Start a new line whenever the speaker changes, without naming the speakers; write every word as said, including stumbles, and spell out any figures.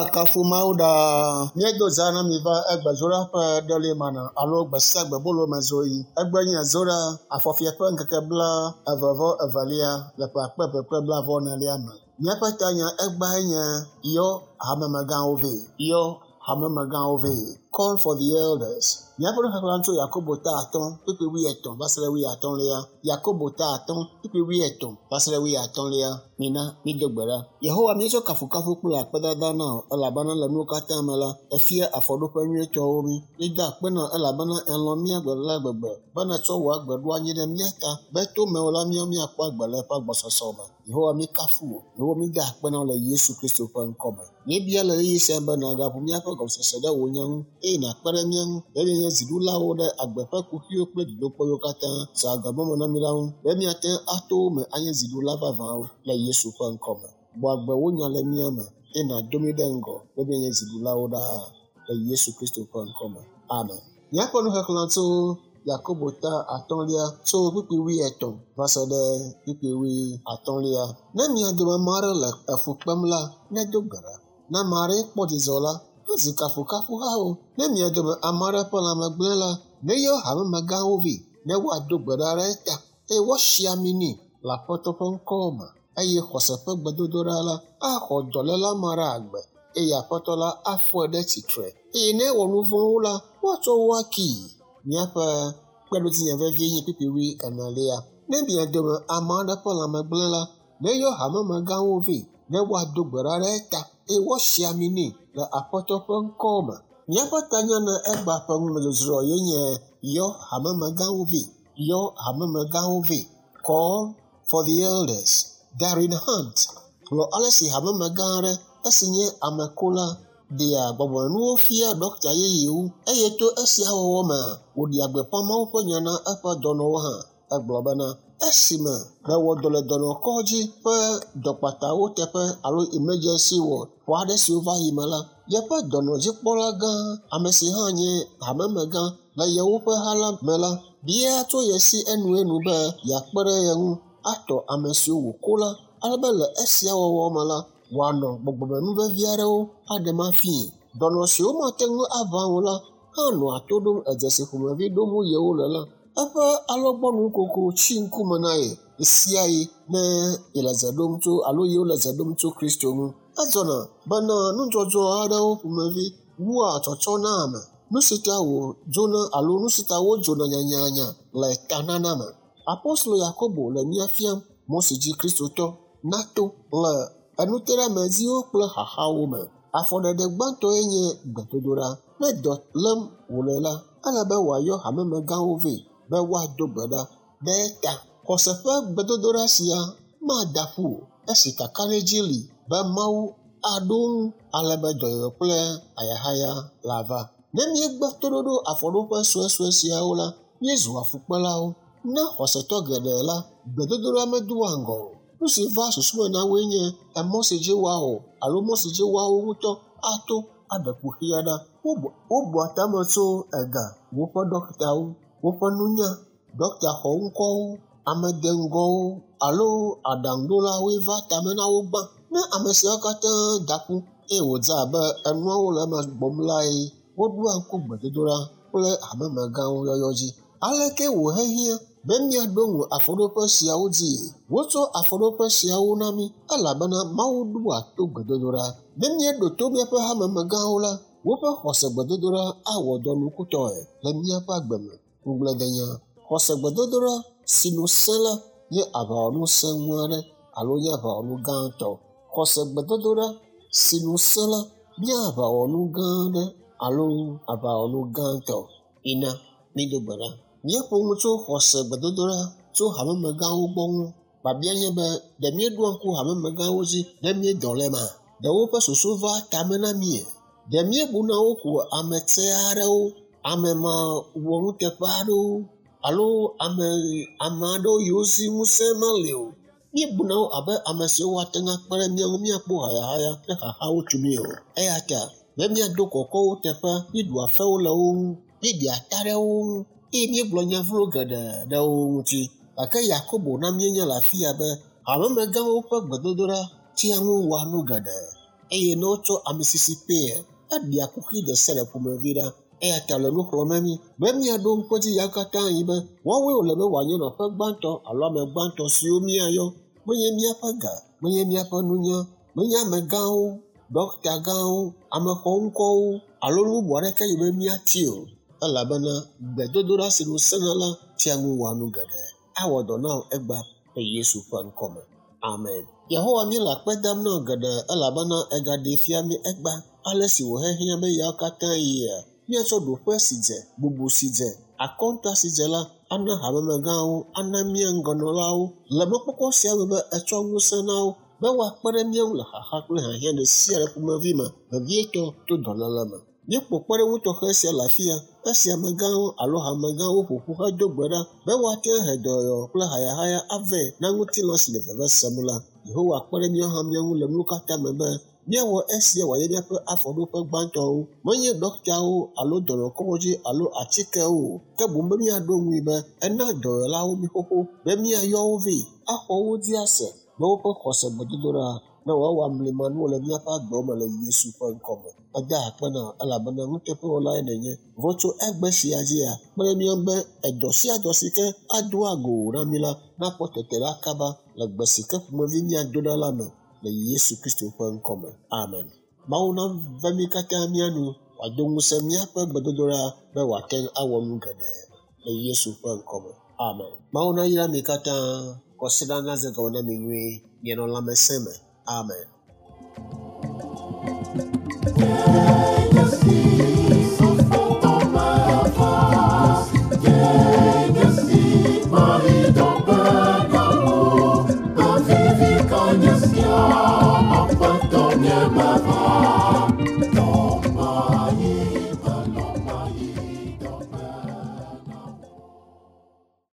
Woakafu Mawu ɖaa. Míedo zã na mi va egbe Zoɖa ƒe ɖeli mana alo gbe sia gbe bolo me zoɣi. Egbe nye Zoɖa afɔfia ƒe ŋkeke bla eve vɔ evelia le ƒe akpe eve kple blaeve enelia me. Míaƒe tanya egbae nye yɔ hamemegãwo vɛ. Yɔ hamemegãwo vɛ. Call for the elders. Míaƒe nuxexlẽ tso Yakobo ta atɔ̃ kpukpui wuietɔ̃ va se ɖe wuiatɔ̃lia. Yakobo ta atɔ̃ kpukpui wuietɔ̃ va se ɖe wuiatɔ̃lia. Mina mído gbe ɖa. Yehowa míetsɔ kafukafu kple akpedada na wò elabena le nuwo katã me la, efia afɔɖoƒe nyuitɔwo mí. Míeda akpe na wò elabena elɔ̃ mía gbe la gbegbe be nètsɔ wò agbe ɖo anyi ɖe mía ta be to mewò la míawo míakpɔ agbe le eƒe agbɔsɔsɔ me. Yehowa míekafu wò. Yehowa mída akpe na wò le Yesu Kristo ƒe ŋkɔ me. Míebia le ɣeyiɣi sia be nàgaʋu míaƒe gɔmesese ɖe wò nya ŋu eye nàkpe ɖe mía ŋu be míanye dziɖulawo ɖe agbe ƒe kuxiwo kple dodokpɔwo katã si agbemɔ na mí la ŋu be míate ŋu ato wo me anye dziɖula vavãwo le Yesu ƒe ŋkɔ me. Gbɔ agbe wò nya le mía me eye nàdo mí ɖe ŋgɔ be míanye dziɖulawo ɖaa le Yesu Kristo ƒe ŋkɔ me. Amen. Míaƒe nuxexlẽ tso Yakobo ta atɔ̃lia tso kpukpui wuietɔ̃ va se ɖe kpukpui wuiatɔ̃lia. Ne mia dome ame aɖe le efu kpem la, nedo gbe ɖa. Ne ame aɖe kpɔ dzidzɔ la, ezi kafukafuhawo. Ne mia dome ame aɖe ƒe lãme gblẽ la, neyɔ hamemegãwo vɛ ne woado gbe ɖa ɖe eta eye woasi ami nɛ le Aƒetɔ ƒe ŋkɔ me eye xɔse ƒe gbedodoɖa la axɔ dɔléla ma ɖe agbe eye Aƒetɔ la afɔe ɖe tsitre eye ne ewɔ nu vɔ̃wo la, woatsɔ wo akee. Míaƒe kpeɖodzinya vevie nye kpukpui wuienelia. Ne mia dome ame aɖe ƒe lãme gblẽ la, neyɔ hamemegãwo vɛ ne woado gbe ɖa ɖe eta eye woasi ami nɛ le Aƒetɔ ƒe ŋkɔ me. Míaƒe tanya na egbea ƒe numedzodzroa ye nye yɔ hamemegãwo vɛ. Yɔ hamemegãwo vɛ. Call for the elders. Darren Hunt gblɔ ale si hamemegã aɖe esi nye amekola ɖea gbɔgbɔmenuwo fia ɖɔkta yeyewo eye to esia wɔwɔ mea, wòɖea gbeƒã Mawu ƒe nya na eƒe dɔnɔwo hã. Egblɔ bena esime mewɔ dɔ le dɔnɔkɔdzi ƒe dɔkpatawo teƒe alo emergency ward ƒe aɖe siwo va yi me la, yeƒe dɔnɔdzikpɔla gã, ame si hã nye hamemegã le yewoƒe ha la me la, bia tso ye si enuenu be yeakpe ɖe ye ŋu atɔ ame siwo wòko la ale be le esia wɔwɔ me la, wòanɔ gbɔgbɔmenu vevi aɖewo aɖem afii. Dɔnɔ siwo mate ŋu aʋã o la hã nɔa to ɖom edzesi ƒomevi ɖom yewo le la. Eƒe alɔgbɔnukoko tsi ŋkume na ye ɣesiaɣi ne yele dze ɖom tso alo yewo le dze ɖom tso Kristo ŋu. Edzɔna bena nudzɔdzɔ aɖewo ƒomevi wua tsɔtsɔ na ame. Nu si ta wòdzona alo nu si ta wodzona nyanyanya le tanana me. Apostolo Yakobo le mía fiam mɔ si dzi Kristotɔ nato le enuteɖeamedziwo kple xaxawo me. Afɔɖeɖe gbãtɔe nye gbedodoɖa. Ne dɔ lém wòle la, ele be wòayɔ hamemegãwo vɛ be woado gbe ɖa ɖe eta. Xɔse ƒe gbedodoɖa sia mada ƒu o esi kakaɖedzi li be Mawu aɖo ŋu ale be dɔyɔyɔ kple ayahaya lava. Ne míegbe toɖoɖo afɔɖoƒe suesue siawo la, míezua fukpelawo. Ne xɔsetɔ geɖe la, gbedodoɖa medoa ŋgɔ o. Nu si va susu me na woe nye emɔ si dzi woawɔ alo mɔ si dzi woawo ŋutɔ ato aɖe kuxia ɖa. Wobua tame tso ega, woƒe ɖɔkitawo, woƒe nunya, ɖɔkita xɔŋkɔwo, ame deŋgɔwo alo aɖaŋuɖolawoe va tame na wo gbã. Ne ame siawo katã da ƒu eye wòdze abe enuawo le eme gbɔm lae, woɖoa ŋku gbedodoɖa kple hamemegãwo yɔyɔ dzi. Aleke wòhehiã be míaɖo ŋu afɔɖoƒe siawo dzi? Wotsɔ afɔɖoƒe siawo na mí elabena Mawu ɖoa to gbedodoɖa. Ne míeɖo to míaƒe hamemegãwo la, woƒe xɔse gbedodoɖa awɔ dɔ nukutɔe le míaƒe agbe me. Ŋugbledenya. Xɔse gbedodoɖa si nu sẽ la nye aʋawɔnu sẽŋu aɖe alo nye aʋawɔnu gãtɔ. Xɔse gbedodoɖa si nu sẽ la nye aʋawɔnu gã aɖe alo aʋawɔnu gãtɔ. Mina mído gbe ɖa. Míeƒo nu tso xɔse gbedodoɖa tso hamemegãwo gbɔ ŋu. Biabia nye be ɖe míeɖoa ŋku hamemegãwo dzi ne míedɔ le ema? Ɖe woƒe susu va tame na mía? Ɖe míebuna wo ko ame tsɛ aɖewo, ame mawɔnuteƒe aɖewo alo ame ame aɖewo yiwo si ŋusẽ mele o? Míebuna wo abe ame siwo woate ŋu akpe ɖe mía ŋu míakpɔ hayahaya kple xaxawo tso mí o. Eya ta be míado kɔkɔ wo teƒe, míeɖua fewo le wo ŋu, míeɖia ta ɖe wo ŋu eye míegblɔ nya vlo geɖe ɖe wo ŋuti. Gake Yakobo na míenya le afi ya be hamemegãwo ƒe gbedodoɖa tea ŋu wɔa nu geɖe. Eye ne wotsɔ amisisi kpee, eɖea kuxi ɖe sia ɖe ƒomevi ɖa. Eya ta le nu xlɔ̃m mí be míaɖo ŋku edzi ya katã yi be woawoe wòle be wòanye nɔƒe gbãtɔ alo ame gbãtɔ siwo míayɔ. Menye míaƒe ga, menye míaƒe nunya, menye amegãwo, ɖɔkita gãwo, ame xɔŋkɔwo alo nu bubu aɖeke yi be míati o. Elabena gbedodoɖa si nu sẽna la tea ŋu wɔa nu geɖe. Awɔ dɔ na wò egbea le Yesu ƒe ŋkɔme. Amen. Yehowa míele akpe dam na wò geɖe elabena egaɖee fia mí egbea ale si wòhehiã be yawo katã yia míatsɔ ɖoƒe si dze, bubu si dze, akɔnta si dze la ana hamemegãwo, ana mía ŋgɔnɔlawo le mɔkpɔkpɔ sia me be etsɔ ŋusẽ na wo be woakpe ɖe mía ŋu le xaxa kple hiahiã ɖe sia ɖe ƒomevi me, vevietɔ to dɔléle me. Míekpɔ kpeɖeŋu tɔxɛ sia le afia esi amegãwo alo hamegãwo ƒo ƒu hedo gbe ɖa be woate ŋu ahe dɔyɔyɔ kple hayahaya avɛ na ŋutilã si le veve sem la. Yehowa kpe ɖe míawo hã mía ŋu le nuwo katã me be míawɔ esia wòanye míaƒe afɔɖoƒe gbãtɔwo, menye ɖɔkitawo alo dɔnɔkɔdzi alo atikewo o, ke boŋ be míaɖo ŋui be ena dɔyɔlawo mí xoxo be míayɔ wo vɛ axɔ wo dzi ase be woƒe xɔse gbedodoɖa ne woawɔ amlimanuwo le míaƒe agbewo me le Yesu ƒe ŋkɔme. Meda akpe na wò elabena nuteƒewɔlae nènye. Vɔ tso egbe sia dzia, kpe ɖe mía ŋu be edɔ sia dɔ si ke ado ago na mí la nakpɔ tete ɖa kaba le gbe si ke ƒomevi míado ɖa la me le Yesu Kristo ƒe ŋkɔme. Amen. Mawu nave mí katã mía nu wòado ŋusẽ míaƒe gbedodoɖa be wòate ŋu awɔ nu geɖe le Yesu ƒe ŋkɔme. Amen. Mawu nayra mi katã. Kɔsiɖa naze gɔme na mi nyuie. Mianɔ lãmesẽ me. Amen.